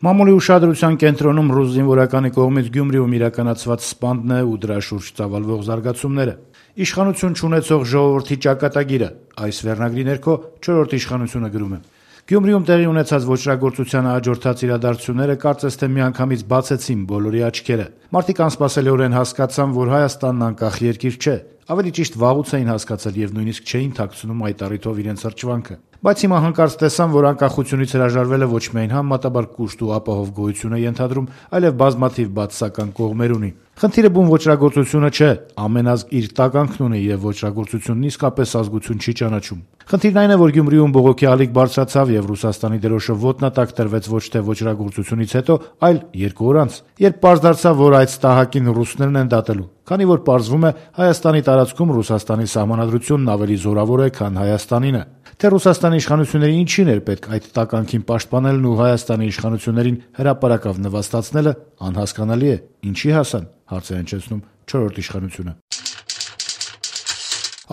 Մամուլի ուշադրության կենտրոնում ռուս զինվորականի կողմից Գյումրիում իրականացված սպանդն է ու դրա շուրջ ծավալվող զարգացումները։ Իշխանություն չունեցող ժողովրդի ճակատագիրը, այս վերնագրի ներքո 4-րդ իշխանությունը գրում է. Գյումրիում տեղի ունեցած ոճրագործությանը հաջորդած իրադարձությունները կարծես թե միանգամից բացեցին բոլորի աչքերը։ Մարդիկ անսպասելիորեն հասկացան, որ Հայաստանն անկախ երկիր չէ, ավելի ճիշտ վաղուց էին հասկացել եւ նույնիսկ չէին թաքցնում այդ առիթով իրենց հրճվանքը։ Բայց հիմա հանկարծ տեսան, որ անկախությունից հրաժարվելը ոչ միայն համեմատաբար կուշտ ու ապահով գոյություն է ենթադրում, այլև բազմաթիվ բացասական կողմեր ունի։ Խնդիրը բուն ոճրագործությունը չէ, ամեն ազգ իր տականքն ունի եւ ոճրագործությունն իսկապես ազգություն չի ճանաչում։ Խնդիրն այն է, որ Գյումրիում բողոքի ալիք բարձրացավ եւ Ռուսաստանի դրոշը ոտնատակ տրվեց ոչ թե ոճրագործությունից հետո, այլ 2 օր անց, երբ պարզ դարձավ, որ այդ ստահակին ռուսներն են դատելու, քանի որ պարզվում է Հայաստանի տարածքում Ռուսաստանի սահմանադրությունն ավելի զորավոր է, քան Հայաստանինը։ Թե Ռուսաստանի իշխանությունների ինչին էր պետք այդ տականքին պաշտպանելն ու Հայաստանի իշխանություններին հրապարակավ նվաստացնելը, անհասկանալի է։ Ինչի հասան, հարց է հնչեցնում 4-րդ իշխանությունը։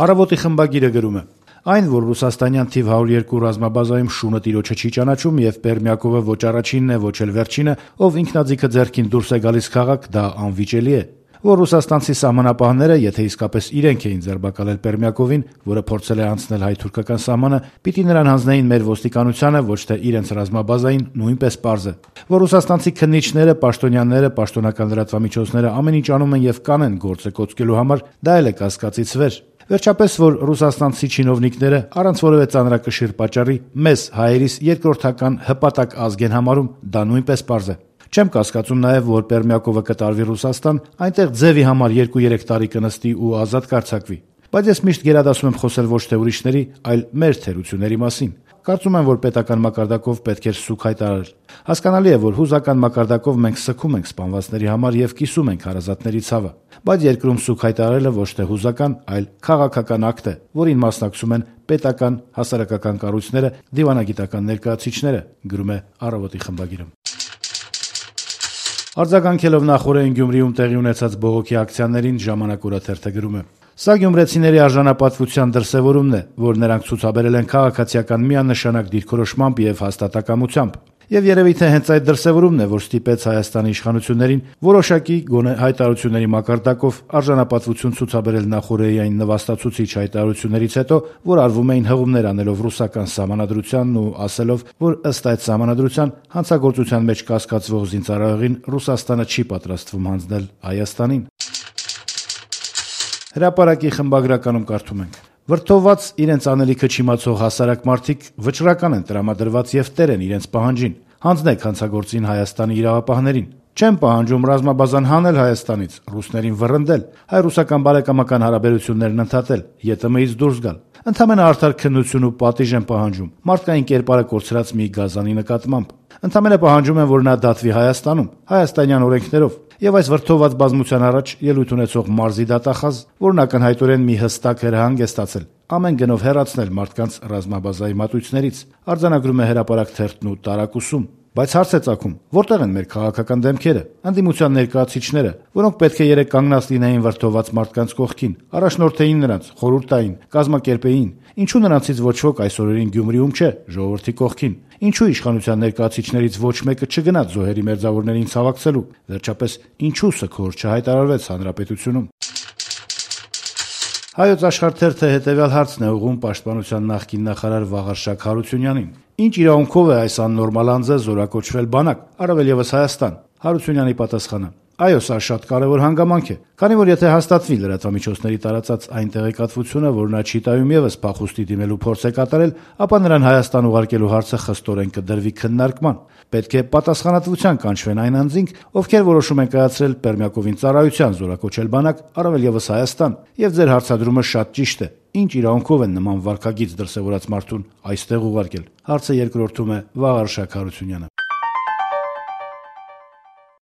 Առավոտի խմբագիրը գրում է. Այն, որ ռուսաստանյան թիվ 102 ռազմաբազայում շունը տիրոջը չի ճանաչում եւ Պերմյակովը ոչ առաջինն է, ոչ էլ վերջինը, ով ինքնաձիգը ձեռքին դուրս է գալիս քաղաք, դա անվիճելի է։ Որ ռուսաստանցի սահմանապահները, եթե իսկապես իրենք էին ձերբակալել Պերմյակովին, որը փորձել է անցնել հայ-թուրքական սահմանը, պիտի նրան հանձնեին մեր ոստիկանությանը, ոչ թե իրենց ռազմաբազային, նույնպես պարզ է։ Որ ռուսաստանցի քննիչները, պաշտոնյաները, պաշտոնական լրատվամիջոցները ամեն ինչ անում են եւ կանեն գործը կոծկելու համար, դա էլ է կասկածից վեր։ Վերջապես, որ ռուսաստանցի չինովնիկները առանց որևէ ծանրակշիռ պատճառի մեզ հայերիս երկրորդական հպատակ ազգ են համարում, դա նույնպես պարզ է։ Չեմ կասկածում նաև, որ Պերմյակովը կտարվի Ռուսաստան, այնտեղ ձևի համար 2-3 տարի կնստի ու ազատ կարձակվի։ Բայց ես միշտ գերադասում եմ խոսել ոչ թե ուրիշների, այլ մեր թերությունների մասին։ Կարծում եմ, որ պետական մակարդակով պետք էր սուգ հայտարարել։ Հասկանալի է, որ հուզական մակարդակով մենք սգում ենք սպանվածների համար եւ կիսում ենք հարազատների ցավը։ Բայց երկրում սուգ հայտարարելը ոչ թե հուզական, այլ քաղաքական ակտ է, որին մասնակցում են պետական, հասարակական կառույցները, դիվանագիտական ներկայացուցիչները, գրում է Առավոտի խմբագիրը։ Արձագանքելով նախօրեին Գյումրիում տեղի ունեցած բողոքի ակցիաներին Ժամանակ օրաթերթը գրում է. Սա գյումրեցիների արժանապատվության դրսևորումն է, որ նրանք ցուցաբերել են քաղաքացիական միանշանակ դիրքորոշմամբ եւ հաստատակամությամբ։ Եվ երևի թե հենց այդ դրսևորումն է, որ ստիպեց Հայաստանի իշխանություններին որոշակի գոնե հայտարարությունների մակարդակով արժանապատվություն ցուցաբերել նախօրեային նվաստացուցիչ հայտարարություններից հետո, որ արվում էին հղումներ անելով ռուսական սահմանադրությանն ու ասելով, որ ըստ այդ սահմանադրության հանցագործության մեջ կասկածվող զինծառայողին Ռուսաստանը չի պատրաստվում հանձնել Հայաստանին։ Հրապարակի խմբագրականում կարդում ենք. Վրդովված իրենց անելիքը չիմացող հասարակ մարդիկ վճռական են տրամադրված եւ տեր են իրենց պահանջին։ Հանձնեք հանցագործին Հայաստանի իրավապահներին։ Չեմ պահանջում ռազմաբազան հանել Հայաստանից, ռուսներին վռնդել, հայ-ռուսական բարեկամական հարաբերություններն ընդհատել, ԵՏՄ-ից դուրս գալ։ Ընդամենը արդար քննություն ու պատիժ եմ պահանջում, մարդկային կերպարը կորցրած մի գազանի նկատմամբ։ Ընդամենը պահանջում եմ, որ նա դատվի Հայաստանում, հայաստանյան օրենքներով, եւ այս վրդովված բազմության առաջ ելույթ ունեցող մարզի դատախազ, որն ակնհայտորեն մի հստակ հրահանգ է ստացել, ամեն գնով հեռացնել մարդկանց ռազմաբազայի մատույցներից, արձանագրում է Հրապարակ թերթն ու տարակուսում։ Բայց հարց է ծագում, որտեղ են մեր քաղաքական դեմքերը, ընդդիմության ներկայացուցիչները, որոնք պետք է երեք կանգնած լինեին վրդովված մարդկանց կողքին, առաջնորդեին նրանց, խորհուրդ տային, կազմակերպեին։ Ինչու նրանցից ոչ ոք այս օրերին Գյումրիում չէ, ժողովրդի կողքին։ Ինչու իշխանության ներկայացուցիչներից ոչ մեկը չգնաց զոհերի մերձավորներին ցավակցելու։ Վերջապես, ինչու սգորը չհայտարարվեց հանրապետությունում։ Հայոց Աշխարհ թերթը հետևյալ հարցն է ուղղում պաշտպանության նախկին նախարար Վաղարշակ Հարությունյանին. Ինչ իրավունքով է այս աննորմալ անձը զորակոչվել բանակ, առավել եւս Հայաստան։ Հարությունյանի պատասխանը. Այո, սա շատ կարևոր հանգամանք է, քանի որ եթե հաստատվի լրատվամիջոցների տարածած այն տեղեկատվությունը, որ նա չի տայում եւս փախուստի դիմելու փորձ է կատարել, ապա նրան Հայաստան ուղարկելու հարցը խստորեն կդրվի քննարկման։ Պետք է պատասխանատվության կանչվեն այն անձինք, ովքեր որոշում են կայացրել Պերմյակովին ծառայության զորակոչել բանակ, առավել եւս Հայաստան, եւ ձեր հարցադրումը շատ ճիշտ է։ Ինչ իրավունքով են նման վարքագիծ դրսևորած մարդուն այստեղ ուղարկել։ Հարցը երկրորդում է Վաղարշակ Հարությունյանը։